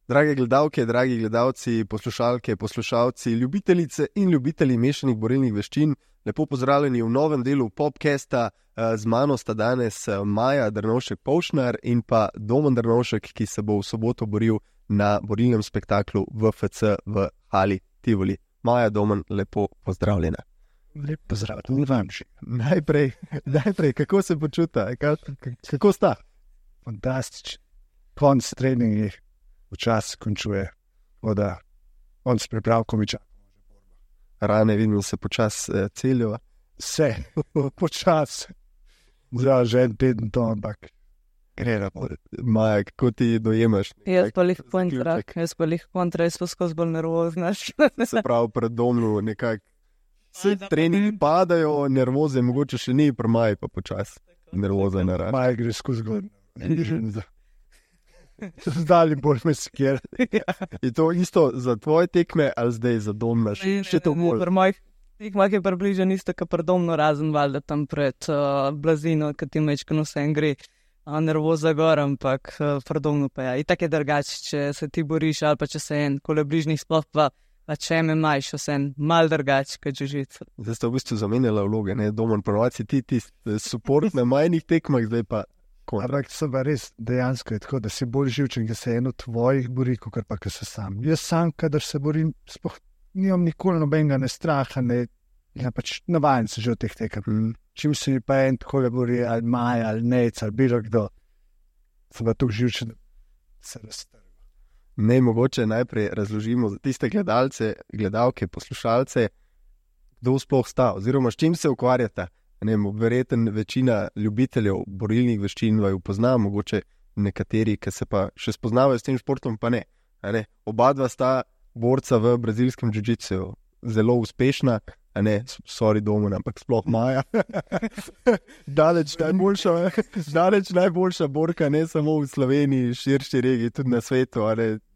Drage gledalke, dragi gledalci, poslušalke, poslušalci, ljubitelice in ljubitelji mešanih borilnih veščin, lepo pozdravljeni v novem delu Popcasta. Z mano sta danes Maja Drnovšek-Povšnar in pa Domen Drnovšek, ki se bo v soboto boril na borilnem spektaklu VFC v Hali Tivoli. Maja, Domen, lepo pozdravljena. Lep pozdrav, tudi vam že. Najprej, kako se počuta? Kako sta? Fantastičen. Konc treningi včasih končuje, voda, konc pripravko mi čaka. Rane vidim, se počas celijo. Vse, počas. Zdaj že en teden to, ampak gre na bolj. Maja, kako ti dojemaš? Jaz pa lih kontra, jaz pa skozi bolj nervozna. Se pravi, pred domnu nekako. Vse treningi padajo, nervoze, mogoče še ni, pri Maji pa počas. Nervoza je narašča. Maja gre skozi godno. Zdali bolj me sker. Je to isto za tvoje tekme ali zdaj za Domna? Še to bolj? Pri mojih tekmah je približno isto, kot pri Domnu, razen valjda tam pred blazino, kad ti mečkano vse gre nervoza gor, ampak pri Domnu pa ja. Itak je drugače, če se ti boriš ali pa če se en kole bližnjih sploh pa če me majš, vse en mal drugače, kot jiu-jitsu. Zdaj ste v bistvu zamenjala vloge, ne? Domen, ponovadi ti support na majhnih tekmah, zdaj pa ampak so pa res dejansko je tako, da si bolj živčen, da se eno tvojih bori, kot pa ko se sam. Jaz sam, kadar se borim, sploh nimam nikoli nobenega ne straha, ne, ja pač navajen se že v teh tekem. Čim se mi pa en takole bori, ali Maja, ali Nec, ali bilo kdo, sem pa tako živčen, da se raztrga. Ne, mogoče najprej razložimo za tiste gledalce, gledalke, poslušalce, kdo sploh sta, oziroma s čim se ukvarjata. Verjetno večina ljubiteljev borilnih veščin vaju pozna, mogoče nekateri, ki se pa še spoznavajo s tem športom, pa ne. Oba dva sta borca v brazilskem jiu-jitsu, zelo uspešna, sorry Domen, ampak sploh Maja. Daleč najboljša borka, ne samo v Sloveniji, širši regiji, tudi na svetu,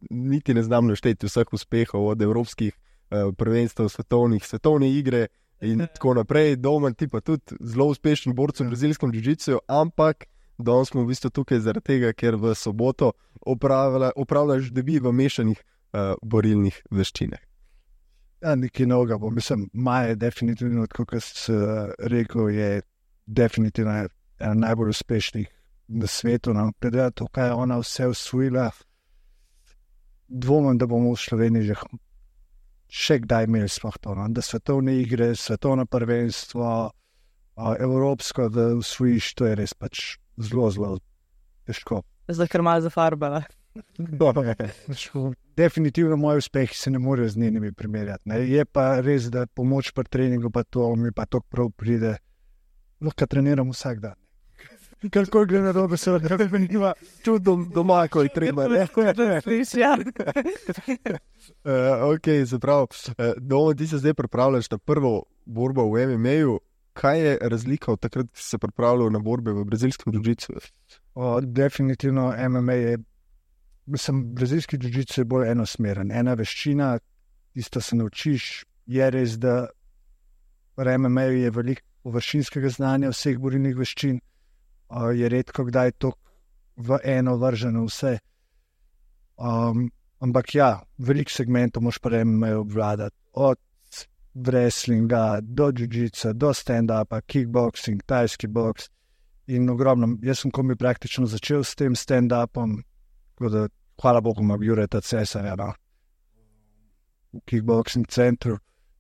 niti ne znam našteti vseh uspehov od evropskih prvenstev, svetovne igre, in tako naprej. Domen, ti pa tudi zelo uspešen borc v brazilskem jiu-jitsu, ampak danes smo v bistvu tukaj zaradi tega, ker v soboto opravljaš debi v mešanih borilnih veščinah. Ja, nekaj novega bo. Mislim, Maja je definitivno, kot sem rekel, je definitivno ena najbolj uspešnih na svetu. Glede to, kaj je ona vse osvojila, dvomim, da bomo v Sloveniji še kdaj imeli sploh to, da svetovne igre, svetovno prvenstvo, evropsko, da usvojiš, to je res pač zelo, zelo težko. Zdaj, ker malo zafarbala. Definitivno moji uspehi se ne morejo z njenimi primerjati. Ne. Je pa res, da pomoč pri treningu pa to mi pa to prav pride. Lahko treniram vsak dan. Karkoli gre na robe, se nima tudi doma, ko je treba. Ok, se pravi, Domen, ti se zdaj pripravljaš na prvo borbo v MMA-ju. Kaj je razlika od takrat, ki si se pripravljal na borbe v brazilskem jiu-jitsu? Definitivno MMA je, brazilski jiu-jitsu je bolj enosmeren. Ena veščina, isto se naučiš, je res, da v MMA-ju je veliko površinskega znanja vseh borilnih veščin. Je redko kdaj to v eno vrženo vse. Ampak ja, veliko segmentov moš pa MMA obvladati. Od wrestlinga do jiu-jitsa, do stand-upa, kickboxing, tajski boks in ogromno. Jaz sem komaj praktično začel s tem stand-upom, tako da hvala Bogu imam Jureta Cesarja v kickboxing centru,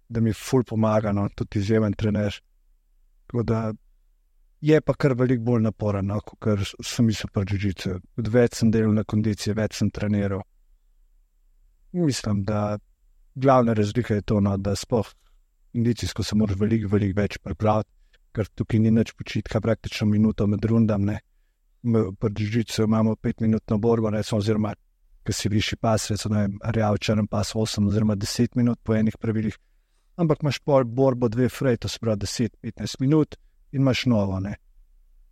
da mi ful pomaga, tudi izjemen trener. Tako da je pa kar veliko bolj naporen, kot sem mislil pri jiu-jitsu. Več sem delal na kondiciji, več sem treniral. Mislim, da glavna razlika je to, da sploh kondicijsko se moraš veliko več pripraviti, ker tukaj ni nič počitka, praktično minuto med rundami. Pri jiu-jitsu imamo 5-minutno borbo, oziroma, ko si višji pas, recimo Real črn pas 8 oziroma 10 minut po enih pravilih, ampak imaš pol borbo 2 frej, to se pravi 10-15 minut, in imaš novo,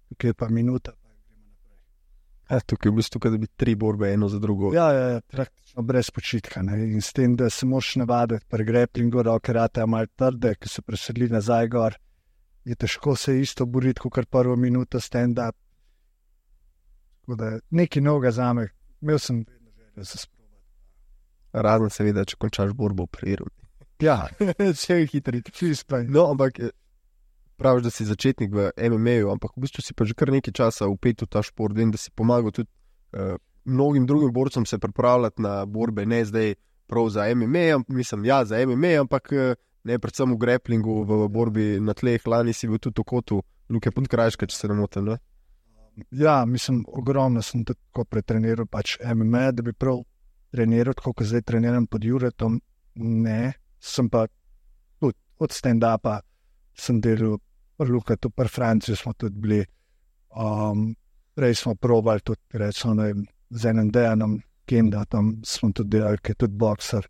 tukaj je pa minuta, pa gremo naprej. Tukaj v bistvu, da bi 3 borbe eno za drugo. Ja, praktično brez počitka, in s tem, da se moraš navaditi pri grapplingu, roke ratejo malo trde, ki se presedli nazaj gor, je težko se isto boriti, kot prvo minuto stand-up. Tako da nekaj novega za me, imel sem vedno željo se sprobati. Razen seveda, če končaš borbo v priru. Ja, Če je hitri. čisto. No, ampak praviš, da si začetnik v MMA-ju, ampak v bistvu si pa že kar nekaj časa vpet v ta šport. Vem, da si pomagal tudi mnogim drugim borcem se pripravljati na borbe, ne zdaj prav za MMA, mislim, ja, za MMA, ampak ne predvsem v grapplingu, v borbi na tleh. Lani si bil tudi v kotu Luke Podkrajška, če se ne motim, ne? Ja, mislim, ogromno sem tudi tako pretreniral pač MMA, da bi prav treniral, tako kot zdaj treniram pod Juretom. Ne, sem pa tudi od stand-upa sem delal pri Lukatu, pri Franciji smo tudi bili. Prej smo probali tudi, recimo, z enim Dejanom Kendatom smo tudi delali, ki je tudi bokser.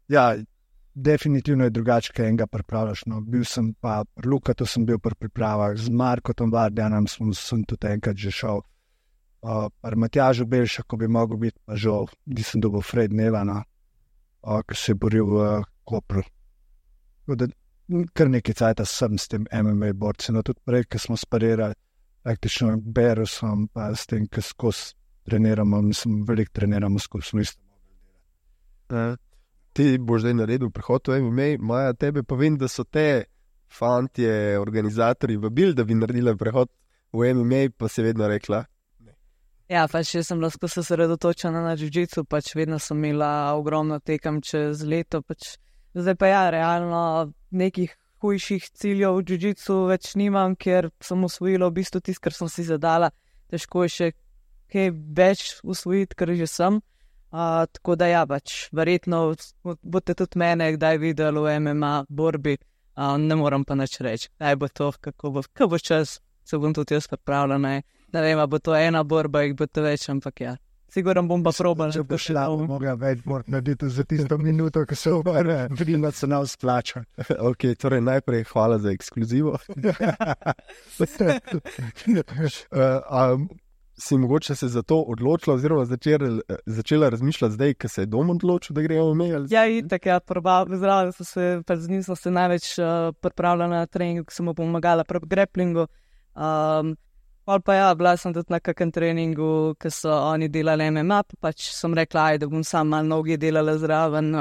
Ja, definitivno je drugače, kaj enega pripravljaš. No, bil sem pa pri Lukatu, sem bil pri pripravah, z Markotom Vardjanom sem tudi enkrat že šel. Pri Matjažu Belša, ko bi mogel biti, pa žal, nisem dobil Fred Nevana, ki se je boril v Kopru. Kar nekaj cajta sem s tem MMA borci. No, tudi prej, ko smo sparirali, praktično Berusom, pa s tem, ko skozi treniramo, mislim, veliko treniramo skozi, smo isto mogli delati. Ti boš zdaj naredil prehod v MMA, Maja, tebe pa vem, da so te fantje, organizatorji vabili, da bi naredila prehod v MMA, pa si vedno rekla. Ja, pač jaz sem lahko se osredotočila na jiu-jitsu, pač vedno sem imela ogromno tekem čez leto, pač zdaj pa ja, realno nekih hujših ciljev v jiu-jitsu več nimam, ker sem usvojila v bistvu tisto, kar sem si zadala. Težko je še kaj več usvojiti, ker že sem. Tako da ja, pač verjetno boste tudi mene kdaj videli v MMA borbi, ne moram pa nič reči, kaj bo to, kako bo čas, se bom tudi jaz pripravljena. Ne vem, bo to ena borba, jih bo to več, ampak ja. Sigurno bom pa probala. Če bo šla, mogla več narediti za tisto minuto, ko se obere, vidno se nam splača. Ok, torej najprej hvala za ekskluzivo. Si mogoče se za to odločila oziroma začela razmišljati zdaj, ko se je dom odločil, da gremo v mail? Ja, itak, ja, zraven z njim sem se največ pripravljala na trening, ko sem mu pomagala pri grapplingu. Pa ja, bila sem tudi na kakem treningu, ko so oni delali MMA, pa pač sem rekla, da bom sam malo nogi delala zraven,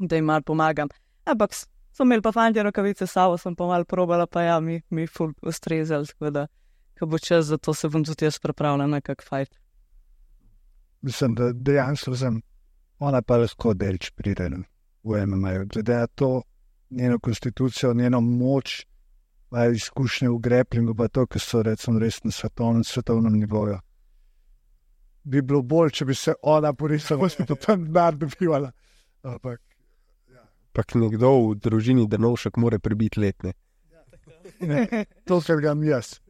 da jim malo pomagam. Ampak so imeli pa fantje rokavice s sabo, sem pa malo probala, pa ja, mi ful ustrezali, tako da ko bo čas, zato se bom tudi jaz pripravila na kak fajt. Mislim, da dejansko sem, ona pa lahko delč pride v MMA, glede to njeno konstitucijo, njeno moč, pa izkušnje v grapplingu, pa to, ki so recimo res na svetovnem nivoju. Bi bilo bolj, če bi se ona porisala, da bi tam denar dobivala. Ampak, ja. Pak nekdo v družini Drnovšek more prebiti letne. To, kar ga mi jaz.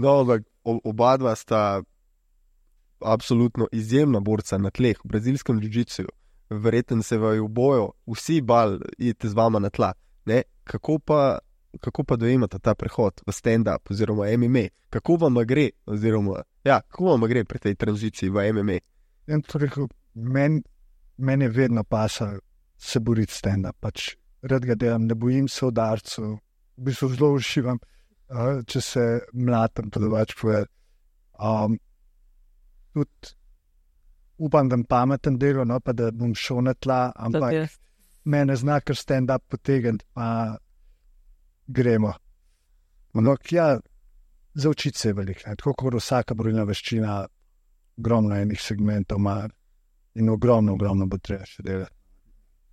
No, ampak oba dva sta absolutno izjemna borca na tleh, v brazilskem jiu-jitsuju. Verjetno se vaju bojo vsi bal iti z vama na tla. Ne? Kako pa dojemate ta prehod v stand-up oziroma MMA? Kako vam gre, oziroma, ja, kako vam gre pri tej tranziciji v MMA? Meni je vedno pasal se boriti stand-up, pač rad ga delam, ne bojim se udarcev, v bistvu zelo uživam, če se mlatam, to da pač povedal. Tudi upam, da pameten delo, no, pa da bom šel na tla, ampak mene zna kar stand-up potegniti, pa gremo. No, ja, za učiti se je veliko, tako kot vsaka borilna veščina, ogromno enih segmentov ima in ogromno bo treba še delati.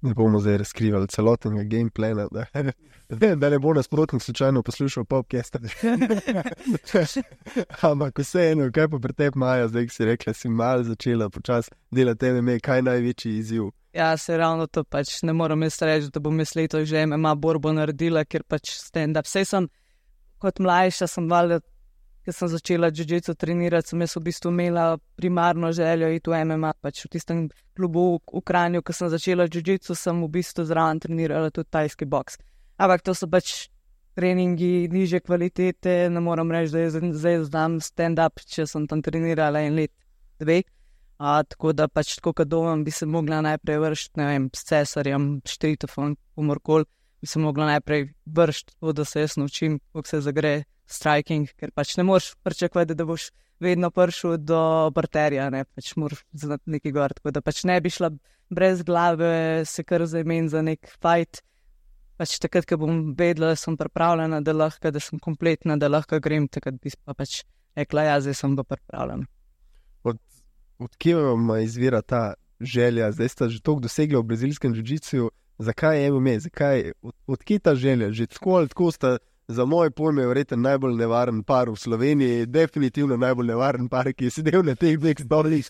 Ne bomo zdaj razkrivali celotnega gameplana, da ne bo nasprotnik slučajno poslušal podcast. Ampak vseeno, kaj pa pri tebi, Maja, zdaj si rekla, si malo začela počasi delati MMA, kaj je največji izziv? Ja, se ravno to pač ne moram jaz reči, da bom jaz letos že MMA borbo naredila, ker pač stand-up. Sej sem kot mlajša, sem valjda, ker sem začela jiu-jitsu trenirati, sem jaz v bistvu imela primarno željo iti v MMA, pač v tistem klubu v Kranju, ko sem začela jiu-jitsu, sem v bistvu zraven trenirala tudi tajski boks. Ampak to so pač treningi nižje kvalitete, ne moram reči, da zdaj znam stand-up, če sem tam trenirala 1 let, 2. Tako da pač tako, kad domam, bi se mogla najprej vršiti, ne vem, s Cesarjem, Štritofom, komorkoli, bi se mogla najprej vršiti, da se jaz naučim, kako se zagre striking, ker pač ne moreš pričakovati, da boš vedno prišel do parterja, ne, pač moraš znati neki gor, tako da pač ne bi šla brez glave se kar zaimen za nek fight, pač takrat, ko bom vedela, da sem pripravljena, da sem kompletna, da lahko grem, takrat bi pa pač rekla, ja, zdaj sem pa pripravljena. Od kje vam izvira ta želja? Zdaj ste že toliko dosegli v brazilskem jiu-jitsu, zakaj MMA, od kje ta želja? Že tako ali tako sta za moje pojme verjetno najbolj nevaren par v Sloveniji, definitivno najbolj nevaren par, ki je sedel na teh dveh stolih.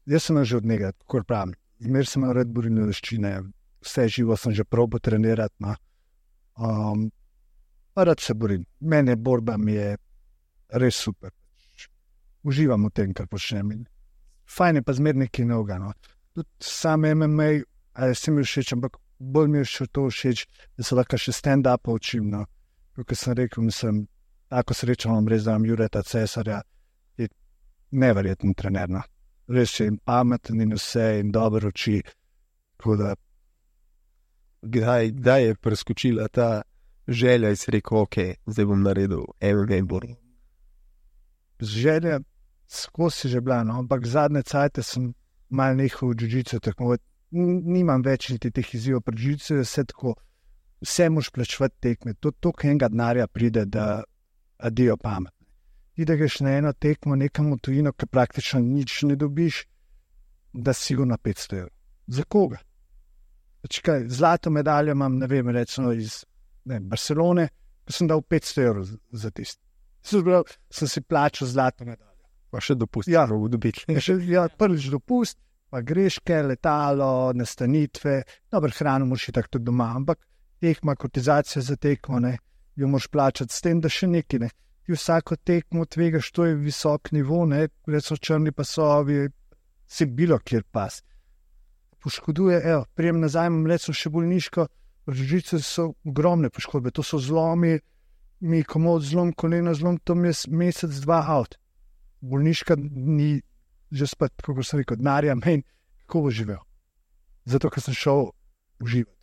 Jaz sem že od njega, tako pravim. Zmer sem imel rad borilne veščine, vse živo sem že probo trenirati. No. Pa rad se borim. Mene borba mi je res super. Uživam v tem, kar počnem. Fajn je pa zmer nekaj novega. No. Tudi sam MMA, se mi všeč, ampak bolj mi je še to všeč, da se lahko še stand-up učim. No. Kot sem rekel, mislim, tako srečo imam res, da imam Jureta Cesarja, je neverjeten trener. No. Res je in pameten in vse in dobro uči. Kdaj je preskočila ta želja in si rekel, ok, zdaj bom naredil MMA borbo? Želja skozi že bila, no? Ampak zadnje cajte sem malo nehal v jiu-jitsu tekmovati. Nimam več niti teh izzivov pri jiu-jitsu, vse moš plačevati tekme. To enega denarja pride, da adijo pamet. Ti da greš na eno tekmo nekam v tujino, ki praktično nič ne dobiš, da sigurno 500 €. Za koga? Kaj, zlato medaljo imam, ne vem, recimo iz Barcelone, ko sem dal 500 € za tisto. Sem si plačal zlato medaljo. Pa še dopust. Ja, prvič dopust, pa greške, letalo, nastanitve, dobro hrano moraš tako tudi doma, ampak tekma, kotizacija za tekmo, ne, jo moraš plačati s tem, da še nekaj, ne. Ti vsako tekmo tvegaš, to je visok nivo, ne, recimo črni pasovi, se bilo kjer pas. Poškoduje, prijem nazaj, imam recimo še bolniško, v jiu-jitsu so ogromne poškodbe, to so zlomi, mi komod zlom, kolena zlom, to mi je mesec, 2 out. Bolniška ni že spet, kako sem rekel, denarja meni, kako bo živel. Zato, ker sem šel uživati.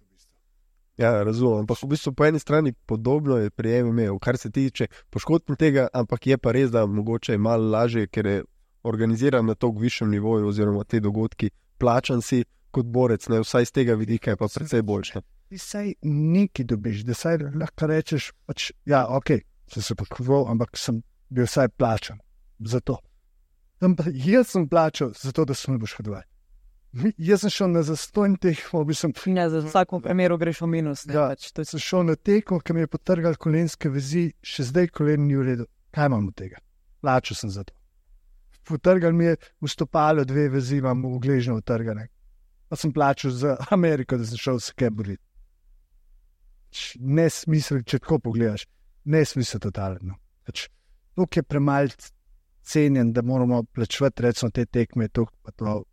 Ja, razumem, ampak v bistvu po eni strani podobno je pri MMA, kar se tiče poškodb tega, ampak je pa res, da mogoče je malo lažje, ker je organiziran na toliko višjem nivoju oziroma te dogodki, plačan si kot borec, ne, vsaj z tega vidika je pa precej boljše. Ti saj nekaj dobiš, da saj lahko rečeš, pač, ja, ok, sem se poškodoval, ampak sem bil vsaj plačan za to. Jaz sem plačal za to, da sem me poškodoval. Jaz sem šel na zastojn tekmo, Ja, za vsako primeru greš v minus. Ne, ja, pač, sem šel na tekmo, ki mi je potrgal kolenske vezi, še zdaj kolen ni v redu. Kaj imam od tega? Plačal sem za to. Potrgal mi je v stopalo 2 vezi, imam v gležnjo utrgane. Pa sem plačal za Ameriko, da sem šel se kaj boriti. Nesmisel, če tako pogledaš, nesmisel totalno. Pač, tukaj je premalo cenjen, da moramo plačevati recimo te tekme, tukaj pa to.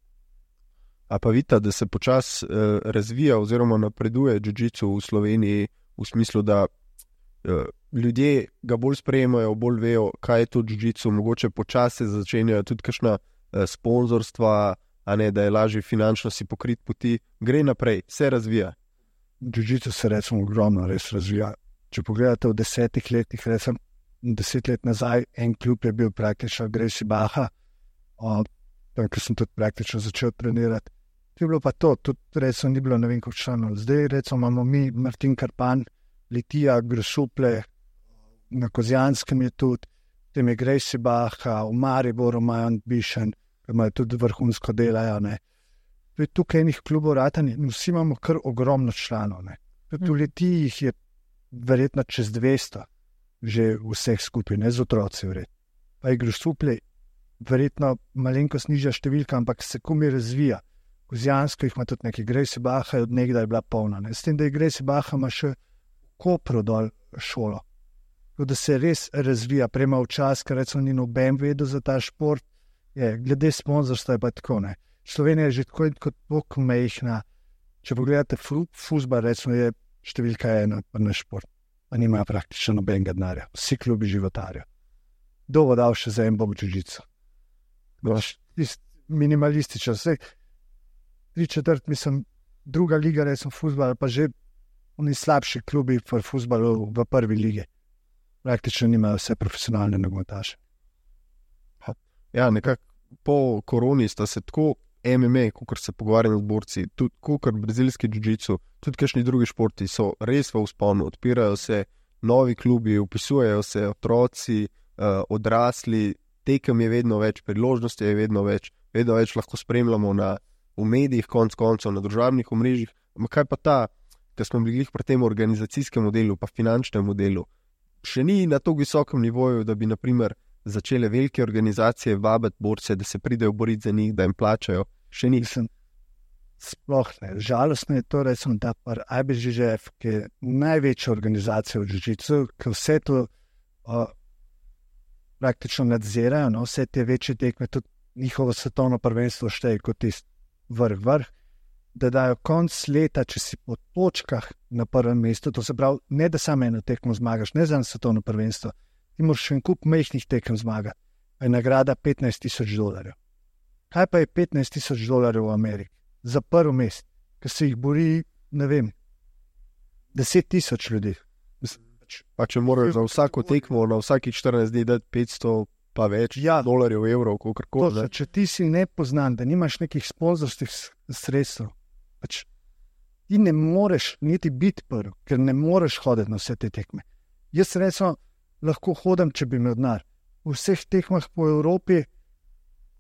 A pa vidite, da se počasi razvija oziroma napreduje jiu-jitsu v Sloveniji v smislu, da ljudje ga bolj sprejemajo, bolj vejo, kaj je to jiu-jitsu, mogoče počasi začenjajo tudi kakšna sponzorstva, a ne, da je lažje finančno si pokrit poti, gre naprej, se razvija. Jiu-jitsu se recimo ogromno res razvija. Če pogledate v 10 letih, recimo 10 let nazaj, en klub je bil praktično Gracie Barra, tam, ker sem tudi praktično začel trenirati. To je bilo pa to, tudi recimo ni bilo ne vem koliko članov. Zdaj recimo imamo mi Martin Karpan, Litija, Grosuple, na Kozjanskem je tudi, tem je Gracie Barra, v Mariboru imajo Ambition, imajo tudi vrhunsko delajo, ne. Tukaj enih klubov ratani, vsi imamo kar ogromno članov, ne. Tudi v Litiji jih je verjetno čez 200, že vseh skupaj, ne z otroci vred. Pa je Grosuple verjetno malenkost nižja številka, ampak se komaj razvija. Kozjansko jih ima tudi nekaj, Gracie Barra je od nekdaj bila polna. Ne? S tem, da je Gracie Barra ima še Kopru dol šolo. Tako da se res razvija, prema včas, ker recimo ni noben vedel za ta šport, je, glede sponzorstva je pa tako, ne. Slovenija je že tako in tako mehna. Če pogledate fuzbal, recimo je številka 1 na šport, pa nimajo praktično nobenega denarja. Vsi klubi životarijo. Kdo bo dal še za en bog jiu-jitsu? Minimalistično, vse 3/4, mislim, druga liga, recimo futbol, pa že oni slabši klubi v futbalu v prvi ligi. Praktično nimajo vse profesionalne nogometaše. Ja, nekako po koroni sta se tako MMA, kot se pogovarjamo z borci, tudi kot brazilski jiu-jitsu, tudi kakšni drugi športi so res v vzponu, odpirajo se novi klubi, upisujejo se otroci, odrasli, tekem je vedno več, priložnosti je vedno več lahko spremljamo v medijih, konc koncev, na družabnih omrežjih. Kaj pa ta, ker smo bili pri tem organizacijskem modelu, pa finančnem modelu, še ni na tako visokem nivoju, da bi naprimer začele velike organizacije vabiti borce, da se pridejo boriti za njih, da jim plačajo. Še nisem. Sploh ne. Žalostno je to, recimo, da par IBJJF, ki je največja organizacija v jiu-jitsu, ki vse to praktično nadzirajo, no, vse te večje tekme, tudi njihovo svetovno prvenstvo šteje kot tisti vrh, da dajo konc leta, če si po točkah na prvem mestu, to se pravi, ne da samo eno tekmo zmagaš, ne za svetovno prvenstvo, ti moraš še en kup majhnih tekem zmagati, pa je nagrada $15,000. Kaj pa je $15,000 v Ameriki? Za prvo mest, ker se jih bori, ne vem, 10,000 ljudi. Pa če moraš za vsako tekmo, na vsakih 14 dni dati 500 pa več dolarjev, evrov, kakorkoli. Če ti si nepoznan, da nimaš nekih sponzorskih sredstev, pač ti ne moreš niti biti prvi, ker ne moreš hoditi na vse te tekme. Jaz recimo lahko hodim, če bi imel denar. V vseh tekmah po Evropi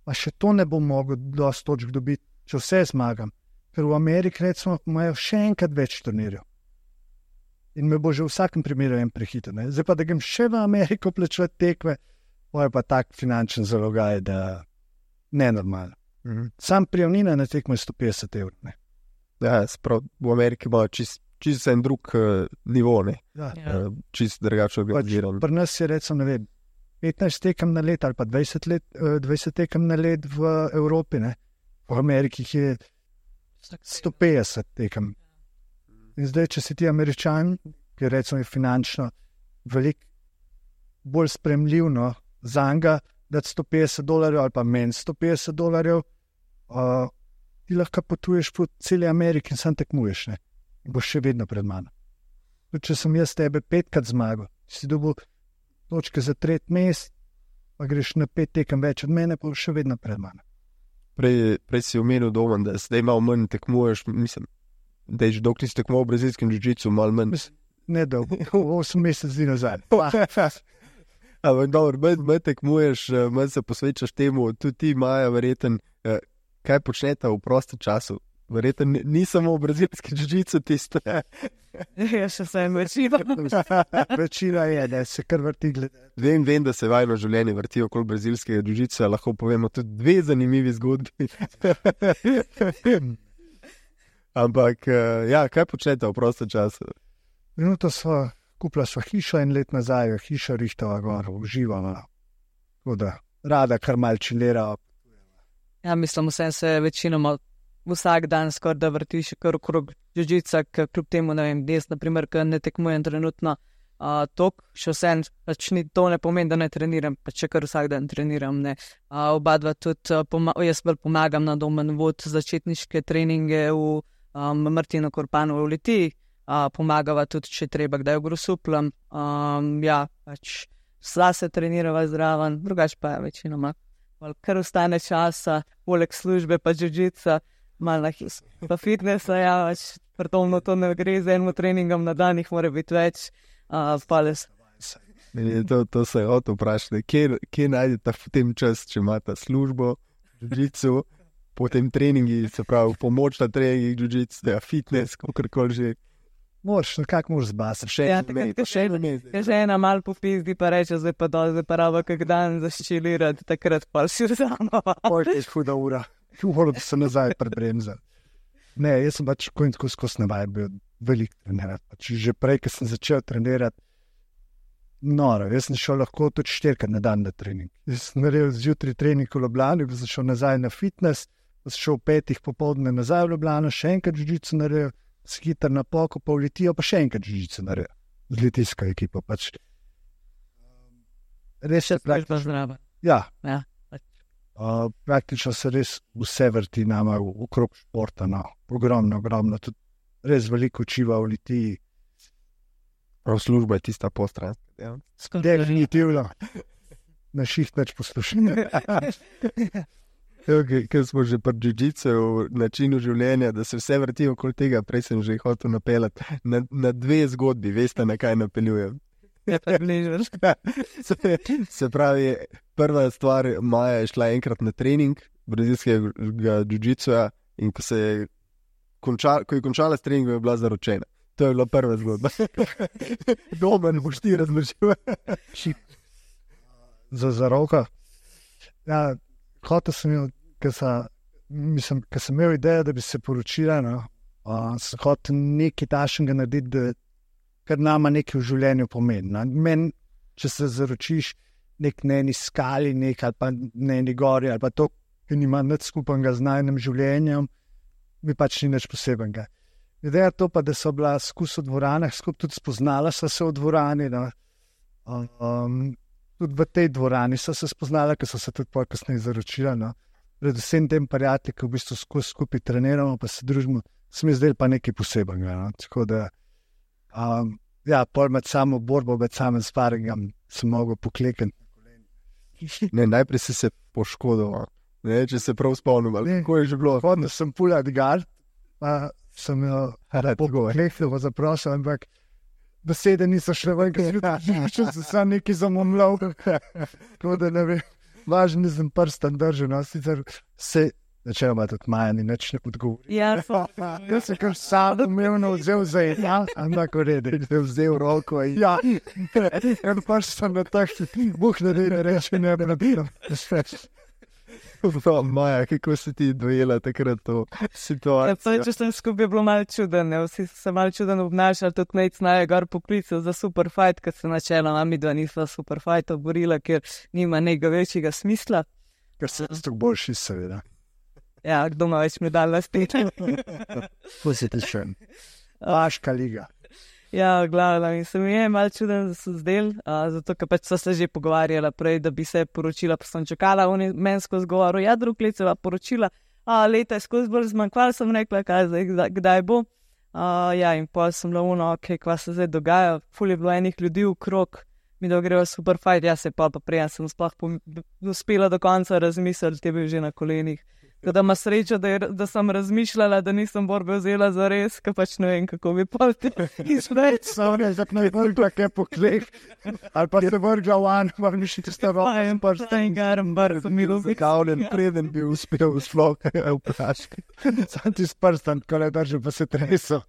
pa še to ne bom mogel dosti točk dobiti, če vse zmagam. Ker v Ameriki recimo imajo še enkrat več turnirjev. In me bo že v vsakem primeru en prehiter. Zdaj pa, da grem še v Ameriko plačevati tekme, pa je pa tak finančen zalogaj, da nenormalno. Sam prijavnina na tekmo je €150. Ne? Ja, sprav, v Ameriki ima čist en drug nivo, ne? Ja. Čist drugače organiziran. Pri nas je recimo, ne vem, 15 tekem na let ali pa 20 tekem na let v Evropi, ne? V Ameriki je 150 tekem. In zdaj, če si ti Američan, ki recimo je finančno veliko bolj spremljiv, no, za njega dati $150 ali pa meni $150, ti lahko potuješ po celi Ameriki in sam tekmuješ, ne? In boš še vedno pred mano. Tudi če sem jaz tebe 5krat zmagal, si dobil točke za 3. mest, pa greš na 5 tekem več od mene, pa boš še vedno pred mano. Prej si omenil Domen, da zdaj malo manj tekmuješ, mislim, da je že dokler si tekmoval v brazilskem jiu-jitsu, malo manj. Ne dolgo, 8 mesec dni nazaj. Ampak dobro, manj tekmuješ, manj se posvečaš temu, tudi ti, Maja, verjeten, kaj počnete v prostem času? Verjeten, ni samo v brazilskem jiu-jitsu tisto. Ja, še sem večina. Večina je, da se kar vrti glede. Vem, da se vajno življenje vrti okoli brazilskega jiu-jitsa, lahko povemo tudi 2 zanimivi zgodbi. Ampak, ja, kaj počnete v prostem času? Minuto kupila sva hišo en let nazaj, hiša rihtava gor, uživamo. Tako da, rada kar mal čilera. Ja, mislim, vsem se večinoma vsak dan skoraj da vrtiš kar okrog jiu-jitsa, kljub temu, ne vem, jaz, naprimer, ker ne tekmujem trenutno tok, še vsem, pač ni to ne pomeni, da ne treniram, pač kar vsak dan treniram, ne. Oba dva tudi, jaz bolj pomagam na Domen vod začetniške treninge v Martinu Korpanu v Litiji, pomagava tudi, če treba, kdaj v Grosuplem, ja, pač vsa se trenirava zraven, drugače pa je večinoma, kar ostane časa, poleg službe pa jiu-jitsa, malo pa fitnessa, ja, pač predomno to ne gre z enim treningom na dan, jih mora biti več, pales. To se je vprašati, kje najdete v tem čas, če imate službo, jiu-jitsu, potem treningi, se pravi, pomoč na treningih jiu-jitsu, fitness, kakorkoli že. Nekako moraš zbasati. Že ena mal popizdi, pa reče, zdaj pa raba kak dan zaščilirati, takrat pa si vzamo. Pojď je huda ura, moram se nazaj prebremzati. Ne, jaz sem pač skozi navaj bil velik trenirat. Pač že prej, ko sem začel trenirati, noro, jaz sem šel lahko tudi 4krat na dan na trening. Jaz sem naredil zjutraj trening v Ljubljani, pa sem šel nazaj na fitness, pa sem šel 5 popoldne nazaj v Ljubljano, še enkrat jiu-jitsu naredil, skiter na poko, pa v Litijo, pa še enkrat jiu-jitsu naredil. Z litijsko ekipo pač. Res je praktično zdrava. Ja. Praktično se res vse vrti nama okrog športa, no. Ogromno, tudi res veliko učiva v Litiji. Prav služba je tista postranska. Definitivno. Na šiht več poslušam. Ker smo že pri jiu-jitsu v načinu življenja, da se vse vrti okoli tega, prej sem že hotel napeljati na dve zgodbi, veste, na kaj napeljujem. Se pravi, prva stvar, Maja je šla enkrat na trening brazilskega jiu-jitsuja in ko je končala s treningom, je bila zaročena. To je bila prva zgodba. Doma ne boš ti razložil. Za zaroko. Ja, hotel sem imel, ker sem imel idejo, da bi se poročila, no, sem hotel nekaj tašnega narediti, kar nama nekaj v življenju pomeni. No. Meni, če se zaročiš na eni skali, ali pa na eni gori, ali pa to, ki nima nič skupnega z najnim življenjem, mi pač ni nič posebenega. Ideja to pa, da so bila skus v dvoranah, skupaj tudi spoznala so se v dvorani, no. Tudi v tej dvorani so se spoznala, ker so se tudi pol kasneje zaročila, no. Predvsem tem prijatelji, ki v bistvu skupaj treniramo, pa se družimo, se mi zdaj pa nekaj posebenega, no. Tako da, pol med samo borbo, med samim sparingom sem mogel poklekati. Ne, najprej si se poškodoval, ne, če se prav spomnim, ali kako je že bilo? Hodno sem puljat gard, pa sem jo pokleknil, pa zaprosil, ampak besede niso šle ven, ker sem sam nekaj zamomljal. Tako da ne vem, važno nisem prstan držal, no, sicer se načeloma tudi Maja ni nič ne odgovori. Ja, Jaz sem kar sam umevno vzel za ena, ampak v redu. Te vzel roko in... Ja, en prstan na tak, ne reče, ne nabiram. Maja, kako si ti dojela takrat to situacijo? Če sem skupaj bilo malo čuden, vsi so se malo čuden obnašali, tudi Nec Naje gor poklical za super fight, ker se načeloma midva nisva super fighta borila, ker nima nekega večjega smisla. Ker se s tako boljši, seveda. Ja, kdo ima več medalj na steni. Pusite še. Vaška liga. Ja, glavno, in se mi je malo čuden, da so zdeli, zato ker pač so se že pogovarjala prej, da bi se poročila, pa sem čakala, on je meni skozi govoril, ja, drug let se va poročila, leta je skozi bolj zmanjkvala, sem rekla, kaj zdaj, kdaj bo. Ja, in pol sem bila kva se zdaj dogaja, ful je bilo enih ljudi okrog, mi da greva super fight, ja se pa prej, sem sploh uspela do konca razmisliti, te bil že na kolenih. Da ima srečo, da sem razmišljala, da nisem borbe vzela za res, ker pač ne vem, kako bi pol ti izvedel. Samo ne, da ne vrgla kaj po kleh, ali pa se vrgla van, pa mi še tiste roke. En prstan garam, bar sem mi ljubi. Zakavljen, preden bi uspel sploh vprašati. Sam ti s prstan, ko le držal, pa se tresel.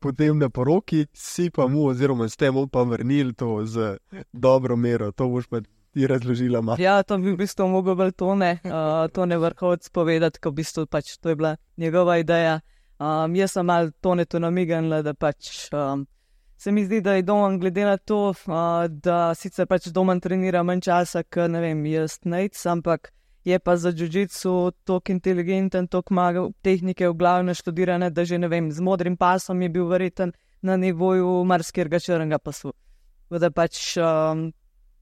Potem na poroki si pa mu, oziroma s tem pa vrnil to z dobro mero, to boš pa ti razložila. Ja, to bi v bistvu mogel bolj Tone Vrhovec povedati, ko v bistvu pač to je bila njegova ideja. Jaz sem malo Tonetu namignila, da pač se mi zdi, da je Domen glede na to, da sicer pač Domen trenira manj časa, ker ne vem, jaz Nec, ampak je pa za jiu-jitsu toliko inteligenten, toliko ima tehnike v glavi naštudirane, da že ne vem, z modrim pasom je bil verjeten na nivoju marsikega črnega pasu. Da pač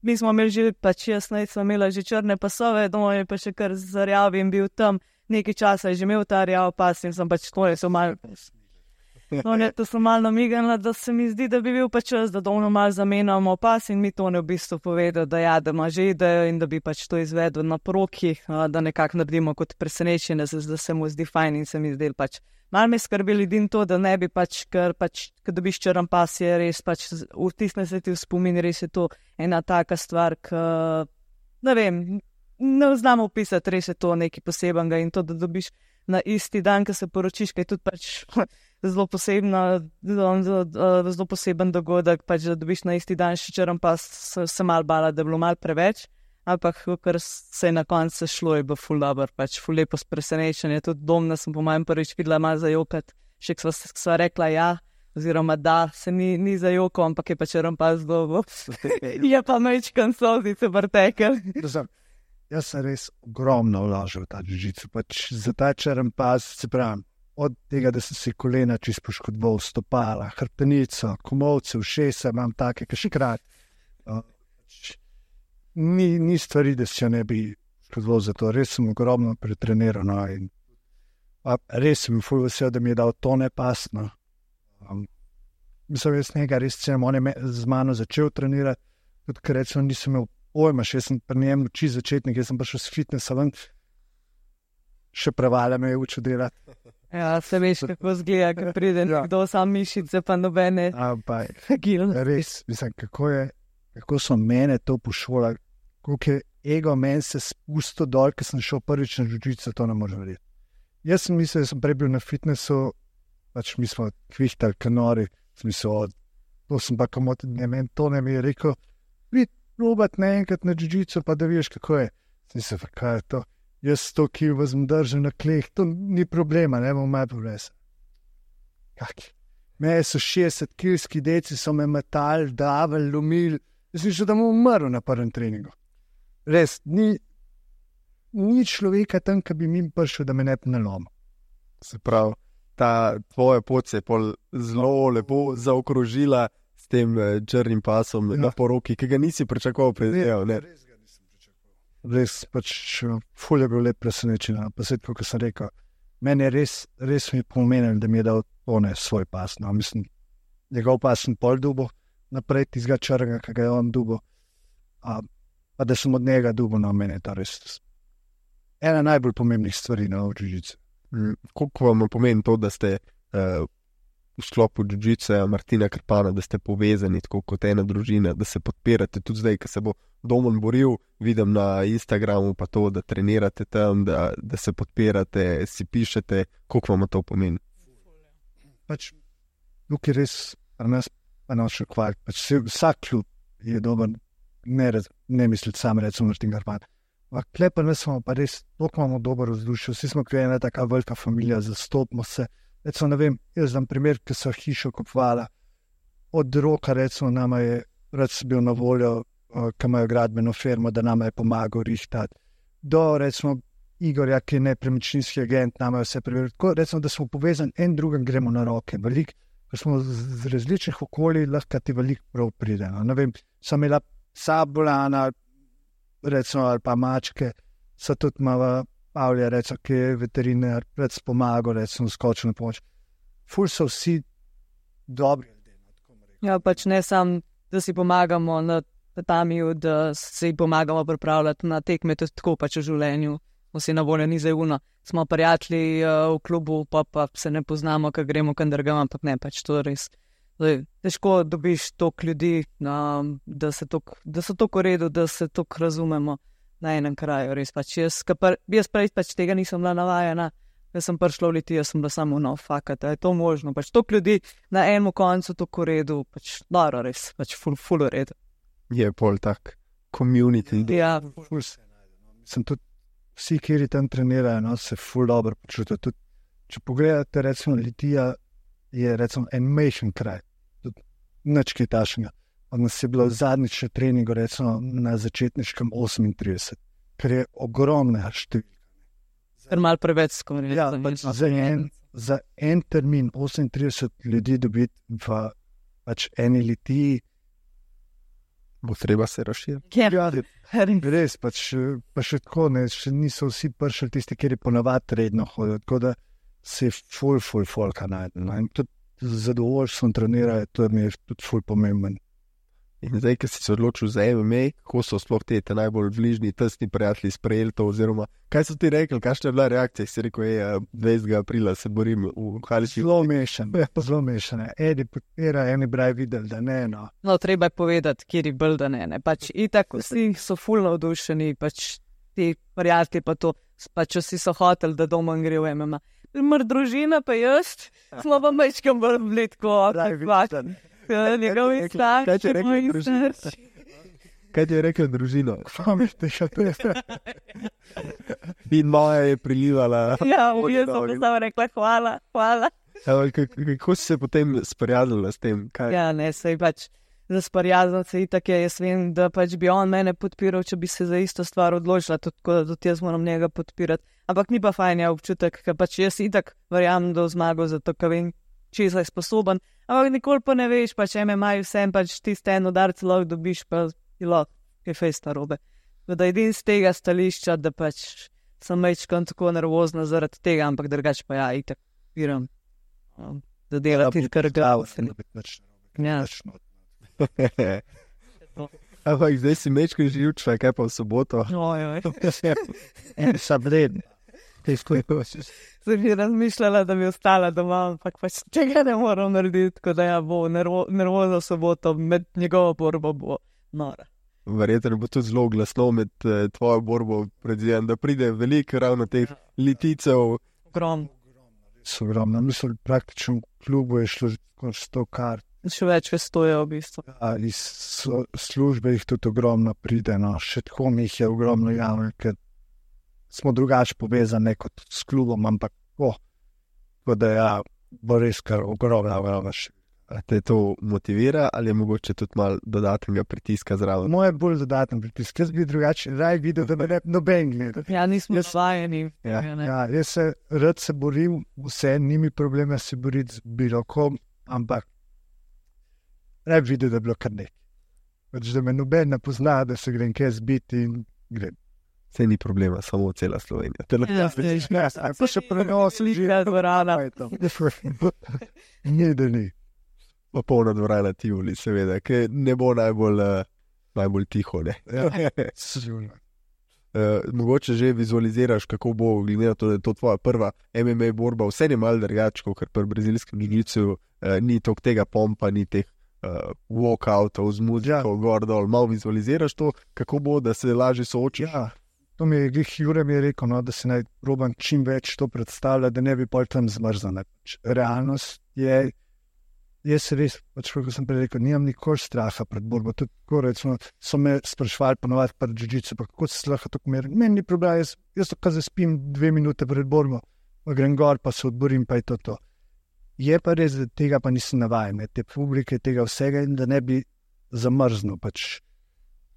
mi smo imeli že, pač jaz smo imela že črne pasove, Domen je pa še kar zarjav in bil tam, nekaj časa je že imel ta rjav pas in sem pač to sem malo namignila, da se mi zdi, da bi bil pa čas, da Domenu malo zamenjamo pas in mi Tone v bistvu povedal, da ja, da ima že idejo in da bi pač to izvedel na poroki, da nekako naredimo kot presenečenje, da se mu zdi fajn in se mi zdi pač. Malo me skrbi ljudi to, da ne bi pač, ker dobiš črn pas, je res pač, vtisne se ti v spomin, res je to ena taka stvar, ne vem, ne znam opisati, res je to nekaj posebenega in to, da dobiš na isti dan, ko se poročiš, kaj je tudi pač zelo poseben dogodek, pač da dobiš na isti dan še črn pas, se malo bala, da je bilo malo preveč. Ampak, ker se je na koncu šlo, je bilo ful dobro, pač ful lepo presenečenje. Tudi Domna sem po mojem prvič videla malo zajokati, še sva rekla ja, oziroma da, se ni zajokal, ampak je pač pas dolgo. Je pa mečkan solzice vrtekel. Jaz sem res ogromno vložil v ta jiu-jitsu, pač za ta črn pas, se pravim, od tega, da sem si kolena čisto poškodoval, stopala, hrbtenico, komolce, ušesa, imam take, ki še krat. Ni stvari, da se ne bi zelo za to. Res sem ogromno pretreniral. No, in res sem ful vesel, da mi je dal to nepasno. Mislim, jaz nekaj res cenim, on je z mano začel trenirati, tudi ker recimo nisem imel pojma, še sem pri njem uči začetnik, jaz sem prišel s fitnessa ven, še prevala me je učil delati. Ja, se veš, kako zgleda, ko pride nekdo sam mišice, pa nobene. Res, mislim, kako so mene to pošolali, koliko je ego meni se spustil dol, ker sem šel prvič na jiu-jitsu, to ne morem verjeti. Jaz sem mislil, da sem prej bil na fitnessu, pač mi smo kvihtali kanori, sem mislil, to sem pa komoti, to ne mi je rekel, prid probat enkrat na jiu-jitsu, pa da vidiš, kako je. Sem mislil, kaj je to? Jaz 100 kil vzem držen na kleh, to ni problema, ne bom malo povlesen. Kaki? Meje so 60 kilski deci, so me metali, davali, lomili, jaz mislim, da bom umrl na prvem treningu. Res, ni človeka tam, ki bi mi prišel, da me ne bi nalomil. Se pravi, ta tvoja pot se je pol zelo lepo zaokrožila s tem črnim pasom na poroki, ki ga nisi pričakoval pred dnevom. Res, pač, ful je bil lep presenečen, pa se tako, kot sem rekel, meni je res mi pomenilo, da mi je dal tone svoj pas, no, mislim, njegov pas sem pol dubo, naprej tizga črnega, ki ga je on dubo, pa da sem od njega dubo, no, meni je to res ena najbolj pomembnih stvari na jiu-jitsu. Koliko vam pomeni to, da ste v sklopu jiu-jitsa Martina Krpana, da ste povezani tako kot ena družina, da se podpirate tudi zdaj, ko se bo Domen boril, vidim na Instagramu pa to, da trenirate tam, da se podpirate, si pišete, koliko vam to pomeni? Pač, tukaj res, pri nas pa noč hvaliti, pač vsak klub je dober, ne misliti sam, recimo Martin Krpan. Kle pa nas smo pa res, toliko imamo dober vzdušje, vsi smo kot ena taka velika familija, zastopimo se. Recimo, ne vem, jaz znam primer, ki so hišo kupovala. Od Roka, recimo, nama je rad bil na voljo, ki imajo gradbeno firmo, da nama je pomagal rihtati. Do, recimo, Igorja, ki je nepremičninski agent, nama je vse preveril. Tako, recimo, da smo povezani, en drugem gremo na roke. Veliko, ko smo z različnih okolij, lahko ti veliko prav pride. No. Ne vem, sem imela psa bolana, recimo, ali pa mačke, so tudi malo Pavlja, recimo, ki je veterinar, pred pomagal, recimo, skočil na pomoč. Ful so vsi dobri ljudje. Ja, pač ne sam, da si pomagamo na tatamiju, da si pomagamo pripravljati na tekme, to je tako pač v življenju. Vsi na voljo ni zajevno. Smo prijatelji v klubu, pa se ne poznamo, ko gremo kam drugam, ampak ne, pač to res. Težko dobiš toliko ljudi, da so toliko v redu, da se toliko razumemo na enem kraju, res pač. Jaz prej pač tega nisem bila navajena, jaz sem prišla v Liti, jaz sem bila samo fakata, je to možno, pač toliko ljudi na enem koncu toliko v redu, pač dobro res, pač ful v redu. Je pol tak community. Ja, ful se najde. Sem tudi vsi, kjer tam trenirajo, no, se ful dobro počutijo. Tudi, če pogledate, recimo, Litija je recimo en majhen kraj, tudi nič kaj takšnega. Od nas je bilo zadnjič na treningu, recimo na začetniškem 38, kar je ogromna številka. Ker malo preveč skoraj. Ja, pač za en termin 38 ljudi dobiti v pač eni Litiji, bo treba se razširiti. Ja, res, pač, pa še tako, ne, še niso vsi prišli tisti, kjer je ponavadi redno hodil, tako da se je ful folka najde. No, in tudi zadovoljstvo trenirajo, to mi je tudi ful pomemben. In zdaj, ko si se odločil za MMA, kako so sploh te najbolj bližnji, tesni prijatelji sprejeli to, oziroma kaj so ti rekli, kakšna je bila reakcija, si rekel, 20. aprila se borim v Haliči. Zelo mešane. Eni podpira, eni braj videli, da ne, no. No, treba je povedati, kjer je bolj, da ne. Pač itak vsi so ful navdušeni, pač ti prijatelji pa to, pač vsi so hoteli, da doma gre v MMA. Mr. družina pa jaz, smo pa mečkam bolj blitko, njegovi starši, moji starši. Kaj ti je rekel družino? In moja je prilivala. Ja, jaz sem samo rekla hvala. Kako si se potem sprijazila s tem? Kaj? Ja, ne, sej pač za sprijazniti se itak je, jaz vem, da pač bi on mene podpiral, če bi se za isto stvar odločila, tako da tudi jaz moram njega podpirati. Ampak ni pa fajn občutek, ker pač jaz itak verjamem, da zmago, zato ker vem, česa je sposoben. Ampak nikoli pa ne veš, pač MMA vsem pač tiste en udarc lahko dobiš, pa je lahko, kaj fejst narobe. Da edin z tega stališča, da pač sem mečkan tako nervozna zaradi tega, ampak drugače pa ja, itak piram, da delati kar glavno. Ja. Ampak zdaj si mečkan živčva, kaj pa v soboto? Sam redno. Sem že razmišljala, da bi ostala doma, ampak pač tega ne moram narediti, tako da ja, bo nervozna v soboto, med njegovo borbo bo nora. Verjetno bo tudi zelo glasno med tvojo borbo, predvidevam, da pride veliko ravno teh liticev. Ogromno. Mislim, praktično v klubu je šlo skoraj 100 kart. Še več ve 100 je v bistvu. Ja, iz službe jih tudi ogromno pride, no. Še tako mi jih je ogromno javno, ker smo drugače povezani kot s klubom, ampak tako da ja, bo res kar ogromno še. A te to motivira ali je mogoče tudi malo dodatnega pritiska zraven? Moje bolj dodaten pritisk. Jaz bi drugače raj videl, da me ne noben gleda. Ja, nismo svajeni. Ja, jaz rad se borim, vse, nimi problema se boriti z bilo kom, ampak raj videl, da je bilo kar nekaj. Pač, da me noben ne pozna, da se grem kaj zbiti in grem. Vse ni problema, samo cela Slovenija. To še prenosi, Slika dvorana. Ni, da ni. Pa polna dvorana Tivoli, seveda, ki ne bo najbolj tiho, ne. Sigurno. Mogoče že vizualiziraš, kako bo, glede na to, da je to tvoja prva MMA borba, vse je malo drugače, kot pri brazilskem jiu-jitsu, ni toliko tega pompa, ni teh walkoutov z muziko, gor dol, malo vizualiziraš to, kako bo, da se lažje soočiš. Ja, to mi je Jure mi je rekel, no, da se naj probam čim več to predstavlja, da ne bi pol tam zmrzal. Realnost je, jaz res, pač kako sem prej rekel, nimam nikoli straha pred borbo. Tudi tako, recimo, so me sprašvali ponovati pred jiu-jitsu, pa kako se lahko tako meri. Meni ni problem, jaz to kar zaspim 2 minute pred borbo, pa grem gor, pa se odborim, pa je to. Je pa res, da tega pa nisem navajen, te publike, tega vsega in da ne bi zamrznil. Pač.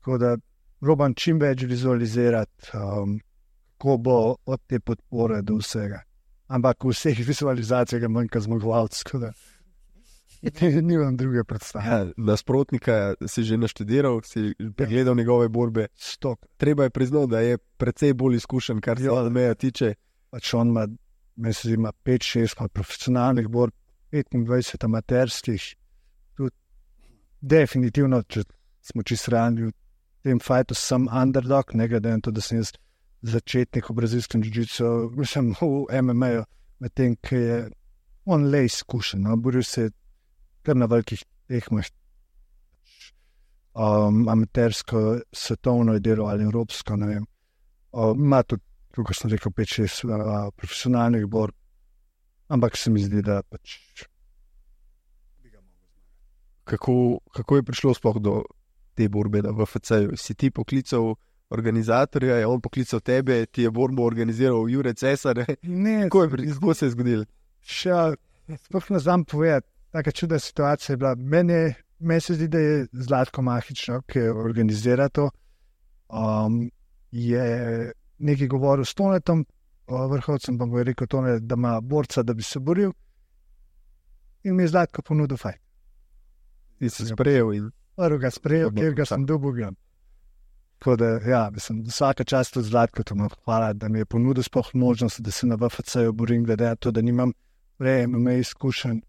Tako da probam čim več vizualizirati, kako bo od te podpore do vsega. Ampak v vseh vizualizacijah je manjka zmagovalec, tako da nimam druge predstave. Ja, nasprotnika si že naštudiral, si pregledal njegove borbe. Treba je priznati, da je precej bolj izkušen, kar se MMA tiče. Pač on ima 5-6 profesionalnih borb, 25 amaterskih. Tudi definitivno, če smo čisto realni, v tem fajtu sem underdog, ne glede na to, da sem jaz začetnik v brazilskem jiu-jitsu, mislim v MMA-ju, medtem, ki je on le izkušen, no? Boril se kar na velikih tekmah. Amatersko, svetovno je delo ali evropsko, ne vem. Ima tudi, kako sem rekel, 5-6 profesionalnih borb, ampak se mi zdi, da pač bi ga mogel zmagati. Kako je prišlo sploh do te borbe na VFC-ju? Si ti poklical organizatorja, je on poklical tebe, ti je borbo organiziral Jure Cesar? Ne, kako se je zgodilo? Sploh ne znam povedati, taka čudna situacija je bila. Meni se zdi, da je Zlatko Mahično, ki organizira to, je nekaj govoril s Tonetom, vrhovcem, pa mu je rekel Tonet, da ima borca, da bi se boril, in mi je Zlatko ponudil fajt. Ti si sprejel in... Prvo ga sprejel, kjer ga sem dobil. Tako da, ja, mislim, vsaka čast od Zlatko, to mu hvala, da mi je ponudil sploh možnost, da se na VFC-ju borim, glede na to, da nimam prej MMA izkušenj,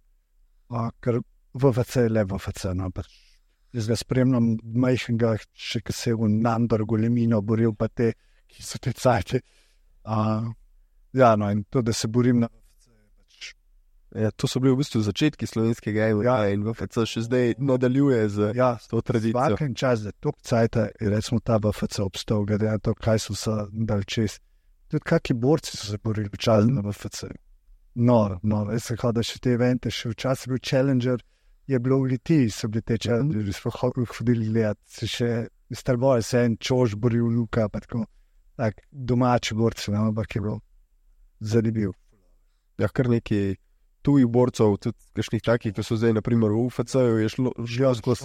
ker VFC je le VFC, no, pač jaz ga spremljam majhnega, še ki se je v Nambergu Lemino boril, pa te, ki so te cajte. Ja, no, in to, da se borim na VFC, pač... Ja, to so bili v bistvu začetki slovenskega MMA in VFC še zdaj nadaljuje z to tradicijo. Vsakem čas, da tok cajta je recimo ta VFC obstal, glede na to, kaj so se dali čez. Tudi kakšni borci so se borili včasih na VFC. Noro. Jaz sem hodil še te evente, še včasih bil Challenger, je bilo v Litiji, so bili te Challengeri, smo hodili gledati, se še Starboje se en Čož boril Luka, pa tako domači borci, ampak je bilo zanimiv. Ja, kar nekaj tujih borcev, tudi kakšnih takih, ki so zdaj naprimer v UFC-ju, je šlo skozi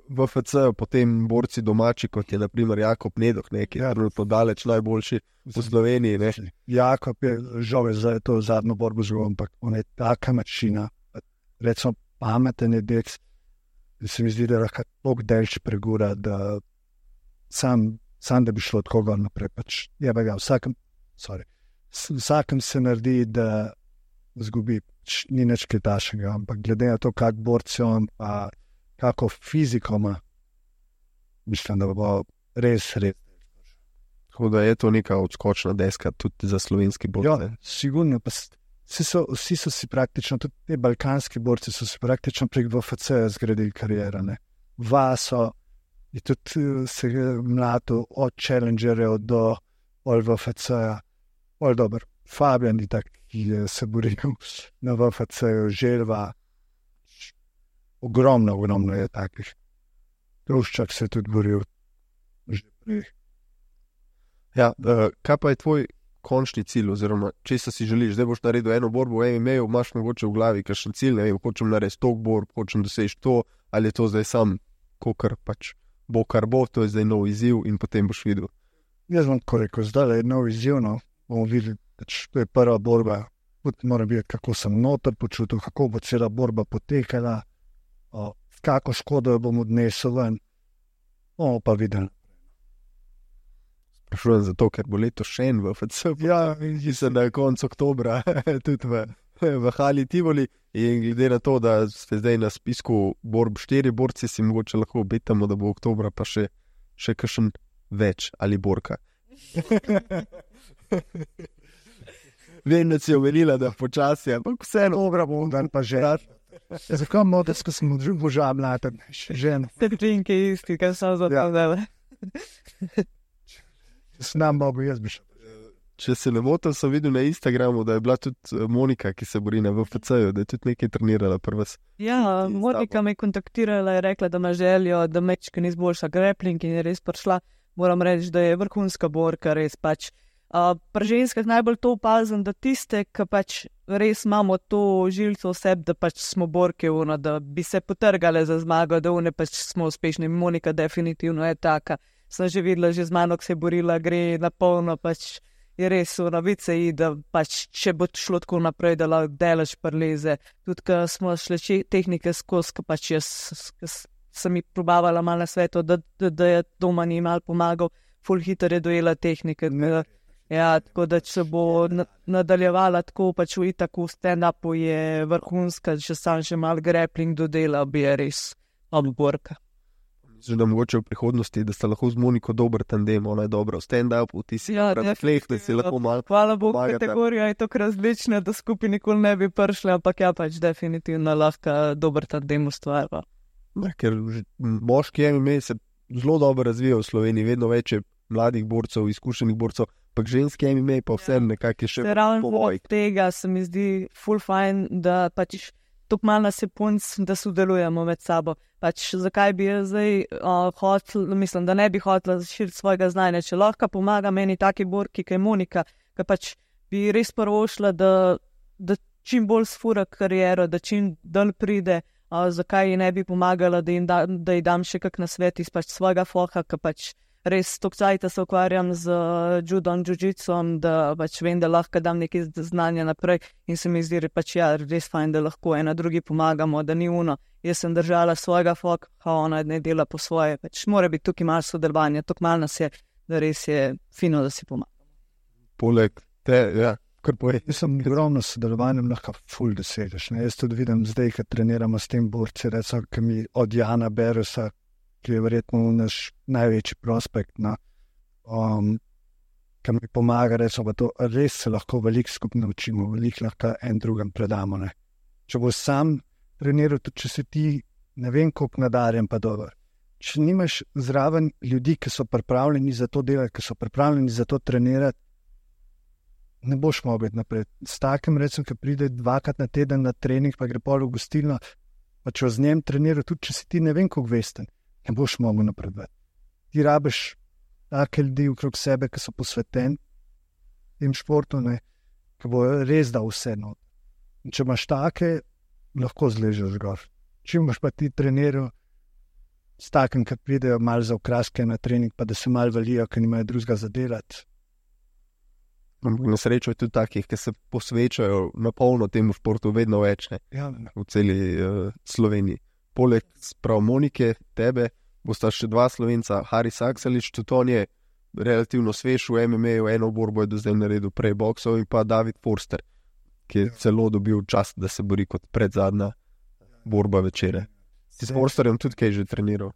v UFC-ju, potem borci domači, kot je naprimer Jakob Nedoh, ki je trenutno daleč najboljši v Sloveniji. Ne? Jakob je žal za to zadnjo borbo zelo, ampak on je taka mačina, recimo pameten je deks, da se mi zdi, da lahko toliko delč pregura, da sam sam da bi šlo tako gor naprej. Pač, vsakem se naredi, da zgubi, ni nič kaj takega, ampak glede na to, kak borci on, pa kako fiziko ima, mislim, da bo res. Tako da je to neka odskočna deska tudi za slovenski borce. Ja, sigurno, pa vsi so si praktično, tudi te balkanski borci so si praktično prek VFC zgradili kariero, ne. Vaso je tudi se mlato od Challengerjev do VFC-ja, dober. Fabian je tak, ki je se boril na VFC-ju, Želva, ogromno je takih. Truščak se je tudi boril že prej. Ja, kaj pa je tvoj končni cilj, oziroma česa si želiš? Zdaj boš naredil eno borbo v MMA, imaš mogoče v glavi kakšen cilj, ne vem, hočem narediti tok borb, hočem doseči to, ali je to zdaj sam, kokar pač bo kar bo, to je zdaj nov izziv in potem boš videl. Jaz bom tako rekel, zdaj je nov izziv, no, bomo videli, to je prva borba, mora videti, kako sem noter počutil, kako bo cela borba potekala, kako škodo jo bom odnesel ven, bomo pa videli. Sprašujem zato, ker bo leto še en VFC, Ja, mislim, da je konec oktobra tudi v Hali Tivoli, in glede na to, da ste zdaj na spisku borb 4 borci, si mogoče lahko obetamo, da bo oktobra pa še kakšen več ali borka. Vem, da si omenila, da počasi, ampak vseeno. Dobra bom dan pa že. Zakaj modes, ko sem moža mladen, žen. Te trinke isti, kaj so za to dele. S nam mogo, jaz bi šel. Če se ne motim, sem videl na Instagramu, da je bila tudi Monika, ki se bori na VFC-ju, da je tudi nekaj trenirala pri vas. Ja, Monika me je kontaktirala in rekla, da ima željo, da mečka ni izboljša grappling in je res prišla. Moram reči, da je vrhunska borka, res pač. Pri ženskah najbolj to opazim, da tiste, ki pač res imamo to žilico v sebi, da pač smo borke, da bi se potrgale za zmago, da pač smo uspešni. Monika definitivno je taka. Sem že videla, že z mano, ki se je borila, gre na polno, pač je res v novice, da pač če bo šlo tako naprej, da lahko delaš prleze. Tudi, ko smo šli tehnike skozi, ko pač jaz sem ji probavala malo na svetu, da je doma ni malo pomagal, ful hiter je dojela tehnike. Ja, tako da če bo nadaljevala tako, pač v itaku stand-upu je vrhunska, če sam še malo grappling dodela, bi je res borka. Že da mogoče v prihodnosti, da sta lahko z Moniko dober tandem, ona je dobra v stand-upu, ti si fleh, da si lahko malo Hvala Bogu, kategorija je tako različna, da skupaj nikoli ne bi prišli, ampak ja, pač definitivno lahko dober tandem ustvarja. Ja, ker moški MMA se zelo dobro razvija v Sloveniji, vedno več je mladih borcev, izkušenih borcev, ampak ženski MMA pa vse nekako je še povoj. Tega se mi zdi ful fajn, da pač tako malo nas je punc, da sodelujemo med sabo. Pač zakaj bi jaz zdaj mislim, da ne bi hotela širiti svojega znanja, če lahko pomaga meni taki borki, ki je Monika, ki pač bi res prvošla, da čim bolj sfura kariero, da čim dol pride, zakaj ji ne bi pomagala, da ji dam še kak nasvet iz pač svojega foha, ki pač res tokcajta se ukvarjam z judom, jiu-jitsom, da pač vem, da lahko dam nekaj znanja naprej in se mi zdi pač ja, res fajn, da lahko ena drugi pomagamo, da ni uno. Jaz sem držala svojega foka, ona ne dela po svoje, pač mora biti tukaj malo sodelovanja, tukaj malo nas je, da res je fino, da si pomagamo. Poleg te, ja, kar povej. Jaz sem ogromno sodelovanjem lahko ful dosežeš, ne, jaz tudi vidim zdaj, kad treniramo s tem borci, recimo, ki mi od Jana Berusa, ki je verjetno naš največji prospekt, ki mi pomaga, recimo, to res se lahko veliko skupaj naučimo, veliko lahko en drugem predamo, ne. Če bo sam treniral, tudi če si ti, ne vem, koliko nadarjen pa dober. Če nimaš zraven ljudi, ki so pripravljeni za to delati, ki so pripravljeni za to trenirati, ne boš mogel biti naprej. S takim, recimo, ki pride 2-krat na teden na trening, pa gre pol v gostilno, pa če z njim trenira, tudi če si ti ne vem, koliko vesten, ne boš mogel napredovati. Ti rabiš take ljudi okrog sebe, ki so posveteni tem športu, ne, ki bo res dal vse not. In če imaš take, lahko zležeš gor. Čim boš pa ti treniral s takim, ki pridejo malo za okraske na trening, pa da se malo valijo, ker nimajo drugega za delati. Na srečo je tudi takih, ki se posvečajo na polno temu športu vedno več, ne, v celi Sloveniji. Poleg prav Monike, tebe, bosta še 2 Slovenca, Haris Akselič, tudi on je relativno svež v MMA, eno borbo je do zdaj naredil prej boksov, in pa David Forster, ki je celo dobil čast, da se bori kot predzadnja borba večere. S Forsterjem tudi kaj že treniral.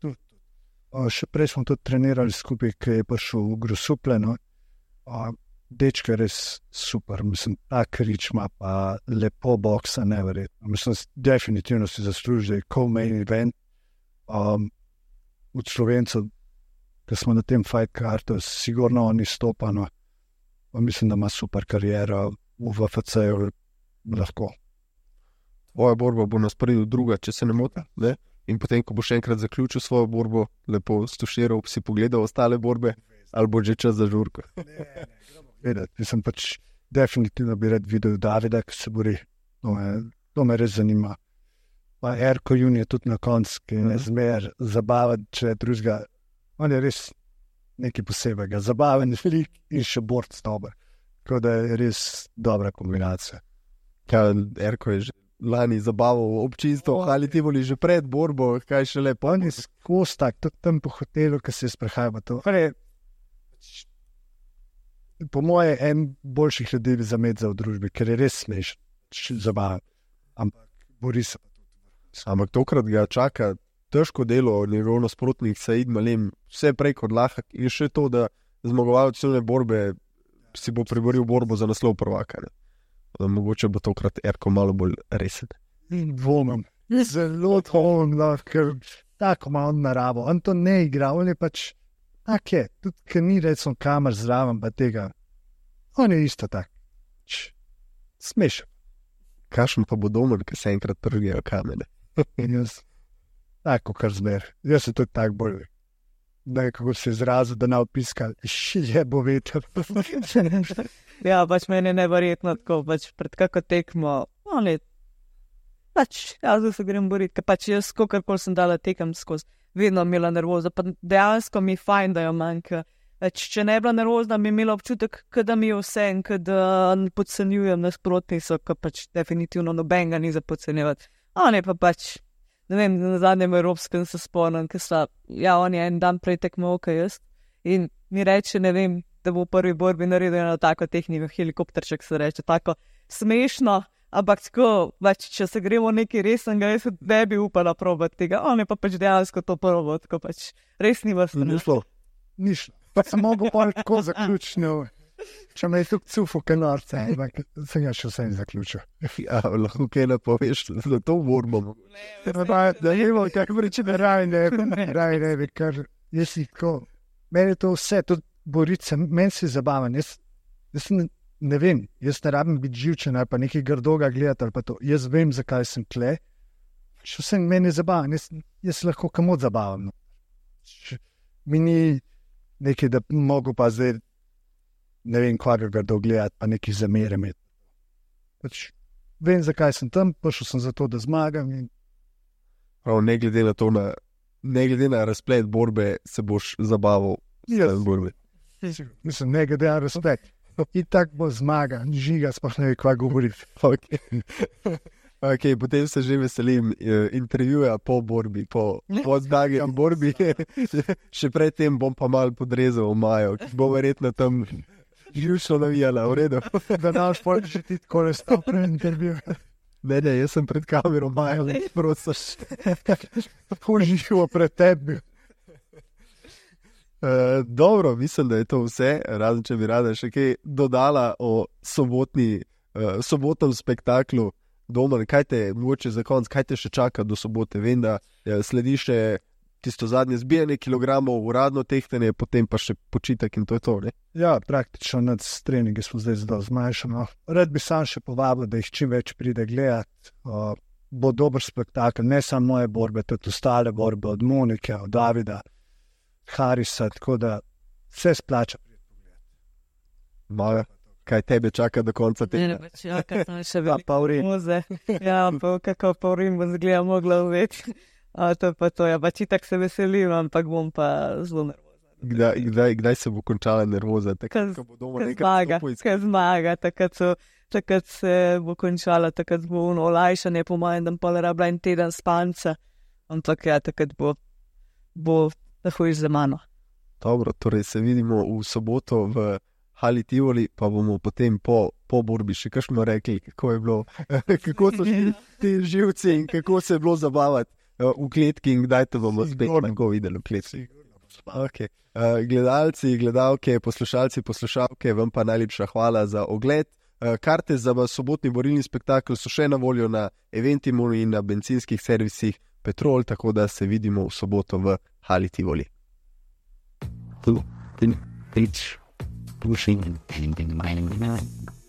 Še prej smo tudi trenirali skupaj, ki je prišel v Grosuple. No? Dečko je res super, mislim, tak ričma, pa lepo boksa, neverjetno. Mislim, definitivno si zasluži, da je co-main event. Od Slovencev, ki smo na tem fight kartu, sigurno on izstopano. Mislim, da ima super kariero v VFC-ju lahko. Tvoja borba bo na sporedu druga, če se ne motim, ne? In potem, ko bo še enkrat zaključil svojo borbo, lepo stuširal, si pogledal ostale borbe, ali bo že čas za žurko? Vedeti, sem pač definitivno bi rad videl Davida, ki se bori. To me res zanima. Pa Erko Jun je tudi na koncu, ki je zmer zabaven, če je drugega. On je res nekaj posebega. Zabaven lik in še borc dober. Tako da je res dobra kombinacija. Erko je že lani zabaval občinstvo, ali ti boli že pred borbo, kaj še lepo. On je skozi tak, tudi tam po hotelu, ki se je sprehajal. Po moje en boljših ljudi za med za v družbi, ker je res smešen, zabaven. Ampak bori se. Ampak tokrat ga čaka težko delo, njegov nasprotnik Said Malem, vse prej kot lahek, in še to, da zmagovalec celne borbe si bo priboril borbo za naslov prvaka. Da mogoče bo tokrat Erko malo bolj resen. Dvomim. Zelo dvomim, ker tako ima on naravo. On to ne igra, on je pač tak je. Tudi, ker ni recimo kamer zraven, pa tega. On je isto tak. Smešen. Kakšen pa bo Domen, ki se enkrat trgijo kamene? In jaz, tako kar zmer. Jaz se tudi tako bolj, da je kako se izrazil, da ne opiskal, je bo veter. Ja, pač meni je neverjetno tako, pač pred kako tekmo, pač jaz se grem boriti, ker pač jaz, kolikor sem dala tekem skozi, vedno imela nervoza, pa dejansko mi je fajn, da jo manjka. Če ne bila nervozna, bi imela občutek, da mi je vse in da podcenjujem nasprotnico, ker pač definitivno nobenega ni za podcenjevati. On je pa pač, ne vem, na zadnjem evropskem se spomnim, ker on je en dan prej tekmoval, kot jaz, in mi reče, ne vem, da bo v prvi borbi naredil eno tako tehniko, helikopterček se reče, tako smešno, ampak tako, pač, če se gremo nekaj resnega, jaz ne bi upala probati tega, on je pa pač dejansko to probal, tako pač res ni vas. Ni šlo. Pa sem mogel tako zaključiti. Če me je tukaj cufo, kaj norce, ampak sem ja še vse zaključil. Ja, lahko kaj napoveš, da to borbo. Da je bilo, kako reči, da raje ne, ker jaz si tako, meni je to vse, tudi boriti se, meni si zabaven, jaz ne vem, jaz ne rabim biti živčen ali pa nekaj grdoga gledati ali pa to, jaz vem, zakaj sem tle, še vse meni je zabaven, jaz lahko kamot zabavam. Mi ni nekaj, da mogo pa zdaj, ne vem, kvaga grdo gledati, pa nekaj zamere imeti. Pač vem, zakaj sem tam, prišel sem zato, da zmagam. Ne glede na to, ne glede na razplet borbe, se boš zabaval s borbe. Mislim, ne glede na razplet. In tako bo zmaga, žiga, sploh ne ve, kva govoriti. Okay, potem se že veselim intervjuja po borbi, po zmagi v borbi. Še predtem bom pa malo podrezal v Majo, ki bo verjetno tam živčno navijala, v redu. Da naš pol že ti tako ne stav pred intervju. Ne, jaz sem pred kamero Majo, ne prosiš. Uživo pred tebi. Dobro, mislim, da je to vse, razen če bi rada še kaj dodala o sobotnem spektaklu. Domen, kaj te, mogoče za konc, kaj te še čaka do sobote? Vem, da sledi še tisto zadnje zbijanje kilogramov, uradno tehtanje, potem pa še počitek in to je to, ne? Ja, praktično nad treningi smo zdaj zelo zmanjšani. Rad bi sam še povabil, da jih čim več pride gledati. Bo dober spektakel, ne samo moje borbe, tudi ostale borbe od Monike, od Davida, Harisa, tako da vse splača. Maja, kaj tebe čaka do konca tega? Ne, čaka tam še veliko muze. Ja, pa kako pa urim bom zgleda mogla uveti. To pa to, ja, pač itak se veselim, ampak bom pa zelo nervoza. Kdaj se bo končala nervoza? Kaj zmaga, takrat se bo končala, takrat bo olajšanje, po mojem, da pa rabila en teden spanca, ampak ja, takrat bo takoj za mano. Dobro, torej se vidimo v soboto v Hali Tivoli, pa bomo potem po borbi še kakšno rekli, kako je bilo, kako so ti živci in kako se je bilo zabavati v kletki in kdaj te bomo spet lahko videli v kletki. Okay. Gledalci, gledalke, poslušalci, poslušalke, vam pa najlepša hvala za ogled. Karte za sobotni borilni spektakel so še na voljo na Eventimu in na bencinskih servisih Petrol, tako da se vidimo v soboto v Hali Tivoli. Pushing in my mind.